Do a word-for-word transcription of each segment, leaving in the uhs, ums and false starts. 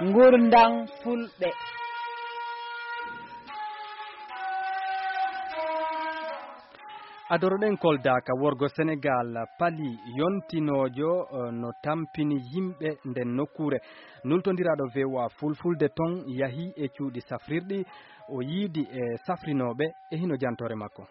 Ngurndan Fulɓe. Adoroɗen Kolda ka worgo Senegal, pali yontinoojo, eh, no tampini yimɓe nden nokkuure. Nultondiraaɗo V O A Fulfulde ton yahi e cuuɗi safrirɗi, o yiidi e safrinooɓe e hino jantoore makko.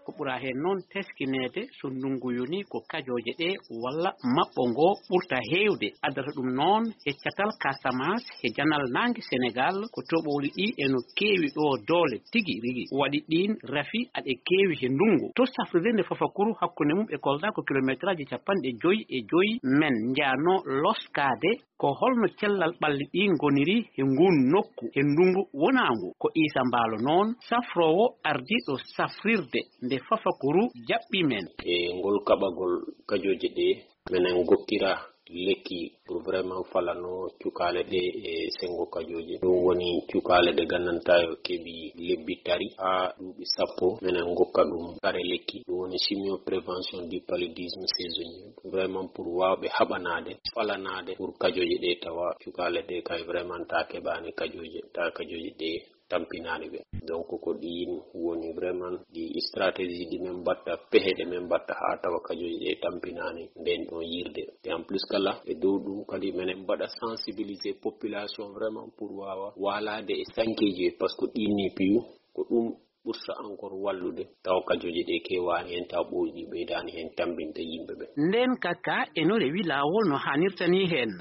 Ko ɓura heen noon teskineede, so ndunngu yonii, ko kajooje ɗee walla maɓɓo ngoo ɓurta heewde. Addata ɗum noon e catal Casamance e janal naange Senegal, ko toɓooli ɗii e no keewi ɗoo doole tigi rigi. Waɗi ɗiin rafi aɗe keewi he ndunngu. To safrirde nde Fafakuru hakkunde mum e Kolda ko kilometeraaji capanɗe joy e joy, men njaanoo loskaade. Ko holno cellal ɓalli ɗii ngoniri he nguun nokku he ndunngu wonaangu? Ko Iisa Mbaalo noon, safroowo ardiiɗo safrirde nde Fafakuru, jaɓɓii men. E ngol kaɓagol kajooje ɗee, menen ngokkira lekki pour vraiment falano cukaale ɗee e senngo kajooje. Ɗum woni cukaale ɗe nganndantaa yo keɓi lebbi tari haa duuɓi sappo, menen ngokka ɗum kare lekki. Ɗum woni chimio prévention du paludisme saisonnier. Vraiment pour waawɓe haɓanaade, falanaade pour kajooje ɗee tawa cukaale ɗee kay vraiment ta keɓaani kajooje, ta kajooje ɗee tampinaani ɓe. Donc ko ɗiin woni vraiment ɗi stratégie ɗi men mbatta, pehe ɗe men mbatta haa tawa kajooje ɗee tampinaani ndeen ɗon yirde. Et en plus kala e dow ɗum kadi menen mbaɗa sensibiliser population vraiment pour waawa waalaade e sankeeji, parce que ɗiin ni piyu ko ɗum ɓurta encore wallude, tawa kajooje ɗee keewaani heen, tawa ɓooyɗi ɓeydaani heen tambinde yimɓe ɓe. Ndeen kaka eno rewi laawol no haanirta ni heen,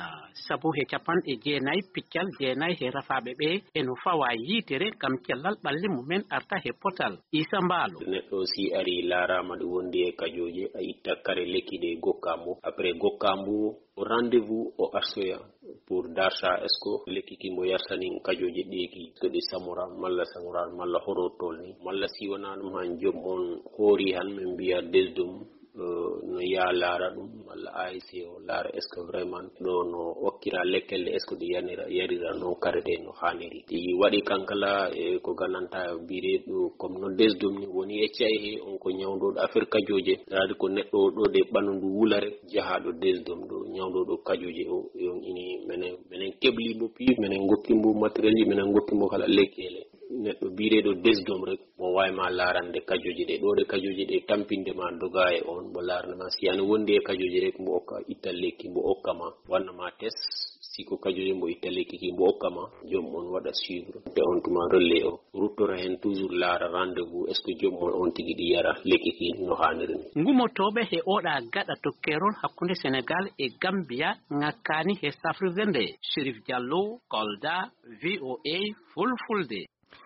sabu he capanɗe jeenayi piccal jeenayi he rafaaɓe ɓe eno fawa yiitere ngam cellal ɓalli mumen arta he potal. Iisa Mbaalo. Neɗɗo si ari laaraama ɗo wondi e kajooje, a itta kare lekki ɗe gokkaa mo. Après gokkaa mo, o rendez-vous o arsoya pour darta est-ce que lekki ki mbo yarsanin kajooje ɗeeki, so ɗi samora malla samora malla horo tolni, malla si wonaa ɗum han joom on hoori han, min mbiya desdum, eh, no yaa laara ɗum, malla A S C o laara est-ce que vraiment ɗo no okkira lekkelle, est-ce que ɗi yanira, yarira noon kare ɗe no haaniri. Ɗi waɗi kankala e ko gananta bire ɗo, comme no desdum ni woni e cay he, on ko ñawndooɗo affaire kajooje, daadi ko neɗɗo o ɗo de ɓandu ndu wulare, jahaaɗo desdom ɗo, ñawndooɗo kajooje o, e on ini menen, menen kebli mbo piyu, menen ngokki mbo matériel ji, menen ngokki mbo kala lekkele. Neɗɗo biireeɗo desdom rek, mo waawi ma laarande kajooje ɗe, ɗo ɗe kajooje ɗe tampinde ma doga e on, mbo laarande ma si yani wondi e kajooje rek, mbo okka itta lekki, mbo okka ma, wanna ma test, si ko kajooje mbo itta lekki ki, mbo okka ma, joom on waɗa suivre. Te on tuma relais o, ruttora heen toujours laara rendez-vous, est-ce que joom on on tigi ɗi yara lekki ki no haaniri ni? Ngumotooɓe he oɗa gaɗa to keerol hakkunde Senegal e Gambia ŋakkaani he safrirde nde. Chérif Diallo, Kolda, V O A Fulfulde.